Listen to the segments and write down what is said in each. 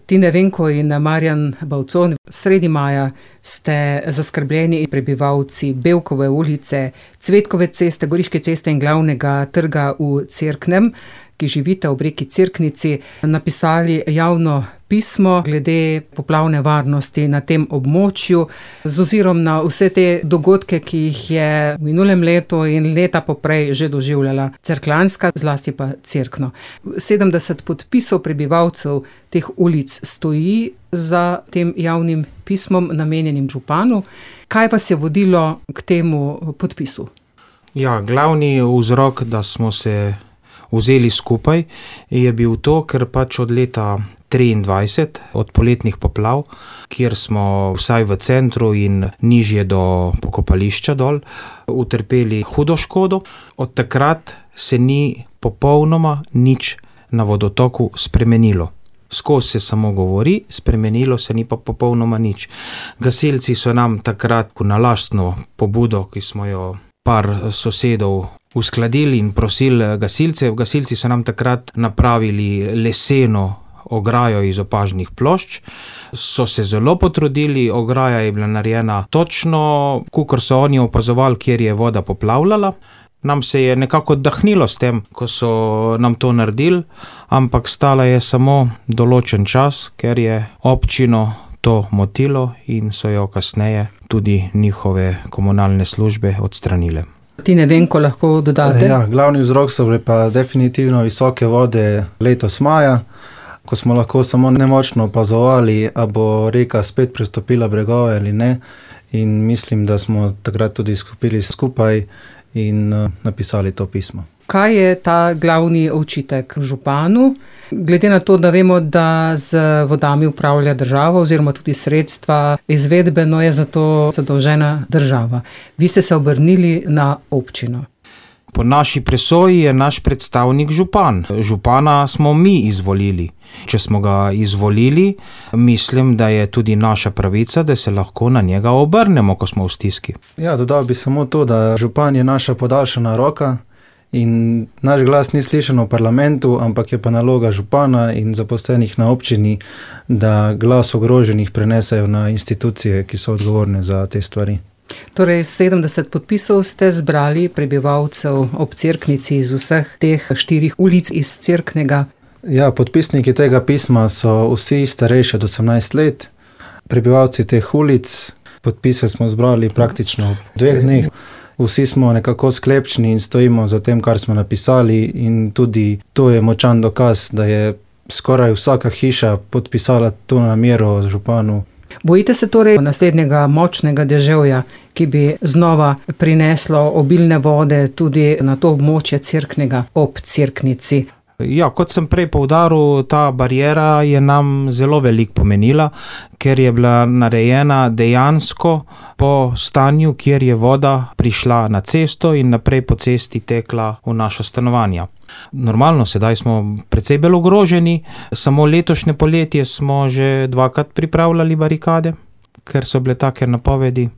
Tine Venko in Marjan Bavcon, sredi maja ste zaskrbljeni prebivalci Bevkove ulice, Cvetkove ceste, Goriške ceste in Glavnega trga v Cerknem, ki živite ob reki Cerknici, napisali javno pismo glede poplavne varnosti na tem območju, z ozirom na vse te dogodke, ki jih je v minulem letu in leta poprej že doživljala Cerkljanska, zlasti pa Cerkno. 70 podpisov prebivalcev teh ulic stoji za tem javnim pismom, namenjenim županu. Kaj vas je vodilo k temu podpisu? Ja, glavni vzrok, da smo se vzeli skupaj, je bil to, ker pač od leta 23, od poletnih poplav, kjer smo vsaj v centru in nižje do pokopališča dol utrpeli hudo škodo, od takrat se ni popolnoma nič na vodotoku spremenilo. Skozi se samo govori, spremenilo se ni pa popolnoma nič. Gasilci so nam takrat na lastno pobudo, ki smo jo par sosedov uskladili in prosili gasilcev. Gasilci so nam takrat napravili leseno ograjo iz opažnih plošč, so se zelo potrudili, ograja je bila narejena točno, kakor so oni opazovali, kjer je voda poplavljala. Nam se je nekako oddahnilo s tem, ko so nam to naredili, ampak stala je samo določen čas, ker je občino to motilo in so jo kasneje tudi njihove komunalne službe odstranile. Tine Venko, lahko dodate? Ja, glavni vzrok so bile pa definitivno visoke vode letos maja, ko smo lahko samo nemočno opazovali, a bo reka spet prestopila bregove ali ne, in mislim, da smo takrat tudi skupili skupaj in napisali to pismo. Kaj je ta glavni očitek županu? Glede na to, da vemo, da z vodami upravlja država oziroma tudi sredstva, izvedbeno je za to zadolžena država. Vi ste se obrnili na občino. Po naši presoji je naš predstavnik župan. Župana smo mi izvolili. Če smo ga izvolili, mislim, da je tudi naša pravica, da se lahko na njega obrnemo, ko smo v stiski. Ja, dodal bi samo to, da župan je naša podaljšana roka in naš glas ni slišan v parlamentu, ampak je pa naloga župana in zaposlenih na občini, da glas ogroženih prenesejo na institucije, ki so odgovorne za te stvari. Torej, 70 podpisov ste zbrali prebivalcev ob Cerknici iz vseh teh 4 ulic iz Cerknega. Ja, podpisniki tega pisma so vsi starejši od 18 let, prebivalci teh ulic. Podpise smo zbrali praktično v 2 dneh. Vsi smo nekako sklepčni in stojimo za tem, kar smo napisali, in tudi to je močan dokaz, da je skoraj vsaka hiša podpisala to namero županu. Bojite se torej naslednjega močnega deževja, ki bi znova prineslo obilne vode tudi na to območje Cerknega ob Cerknici? Ja, kot sem prej poudaril, ta bariera je nam zelo veliko pomenila, ker je bila narejena dejansko po stanju, kjer je voda prišla na cesto in naprej po cesti tekla v naša stanovanja. Normalno, sedaj smo precej bolj ogroženi, samo letošnje poletje smo že 2krat pripravljali barikade, ker so bile take napovedi.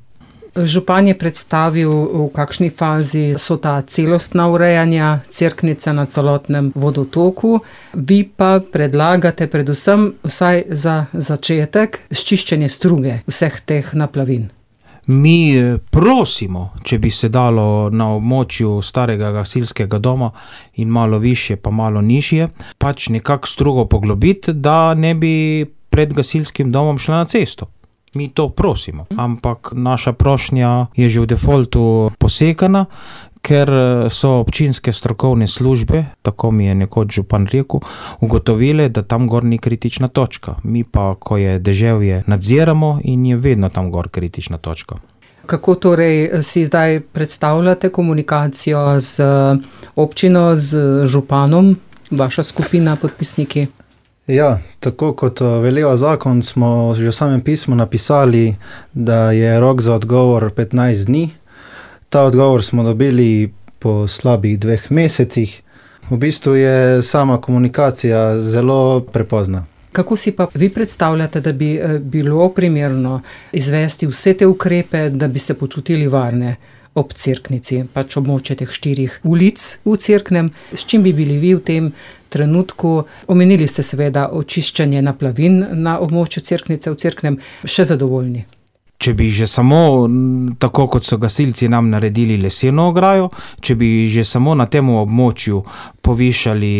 Župan je predstavil, v kakšni fazi so ta celostna urejanja Cerknice na celotnem vodotoku. Vi pa predlagate predvsem vsaj za začetek sčiščenje struge vseh teh naplavin. Mi prosimo, če bi se dalo na območju starega gasilskega doma in malo višje pa malo nižje, pač nekako strugo poglobiti, da ne bi pred gasilskim domom šla na cesto. Mi to prosimo, ampak naša prošnja je že v defaultu posekana, ker so občinske strokovne službe, tako mi je nekoč župan rekel, ugotovile, da tam gor ni kritična točka. Mi pa, ko je deževje, nadziramo in je vedno tam gor kritična točka. Kako torej si zdaj predstavljate komunikacijo z občino, z županom, vaša skupina podpisniki? Ja, tako kot veleva zakon, smo že v samem pismu napisali, da je rok za odgovor 15 dni. Ta odgovor smo dobili po slabih 2 mesecih. V bistvu je sama komunikacija zelo prepozna. Kako si pa vi predstavljate, da bi bilo primerno izvesti vse te ukrepe, da bi se počutili varne ob Cerknici, pač območje teh 4 ulic v Cerknem? S čim bi bili vi v tem trenutku. Omenili ste seveda očiščenje naplavin na območju Cerknice v Cerknem. Še zadovoljni? Če bi že samo, tako kot so gasilci nam naredili leseno ograjo, če bi že samo na tem območju povišali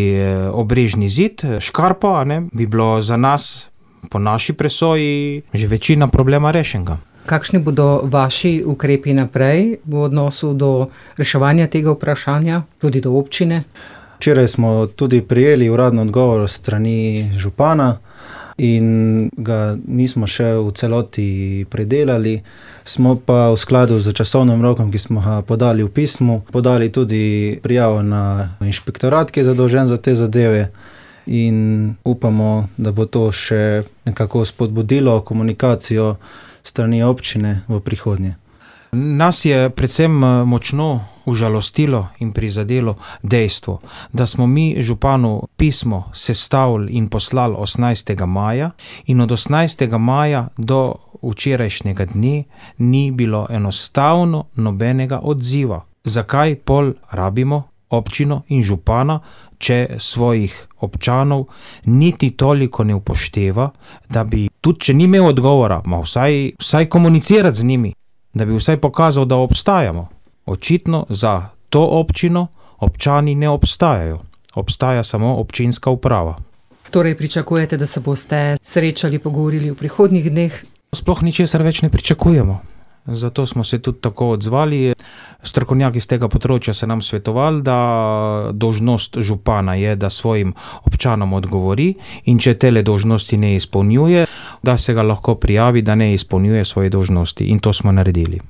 obrežni zid, škarpo, bi bilo za nas, po naši presoji, že večina problema rešenega. Kakšni bodo vaši ukrepi naprej v odnosu do reševanja tega vprašanja, tudi do občine? Včeraj smo tudi prijeli uradno odgovor strani župana in ga nismo še v celoti predelali. Smo pa v skladu z časovnim rokom, ki smo ga podali v pismu, podali tudi prijavo na inšpektorat, ki je zadolžen za te zadeve, in upamo, da bo to še nekako spodbudilo komunikacijo strani občine v prihodnje. Nas je predvsem močno užalostilo in prizadelo dejstvo, da smo mi županu pismo sestavili in poslali 18. maja in od 18. maja do včerajšnjega dne ni bilo enostavno nobenega odziva. Zakaj pol rabimo občino in župana, če svojih občanov niti toliko ne upošteva, da bi, tudi če ni imel odgovora, vsaj komunicirati z njimi, da bi vsaj pokazal, da obstajamo. Očitno za to občino občani ne obstajajo. Obstaja samo občinska uprava. Torej pričakujete, da se boste srečali, pogovorili v prihodnjih dneh? Sploh ničesar več ne pričakujemo. Zato smo se tudi tako odzvali. Strokovnjaki z tega področja se nam svetovali, da dolžnost župana je, da svojim občanom odgovori, in če tele dolžnosti ne izpolnjuje, da se ga lahko prijavi, da ne izpolnjuje svoje dolžnosti, in to smo naredili.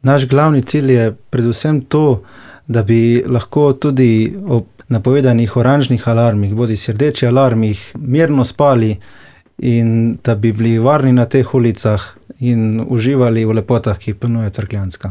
Naš glavni cilj je predvsem to, da bi lahko tudi ob napovedanih oranžnih alarmih, bodisi rdečih alarmih, mirno spali in da bi bili varni na teh ulicah in uživali v lepotah, ki jih ponuja Cerkljanska.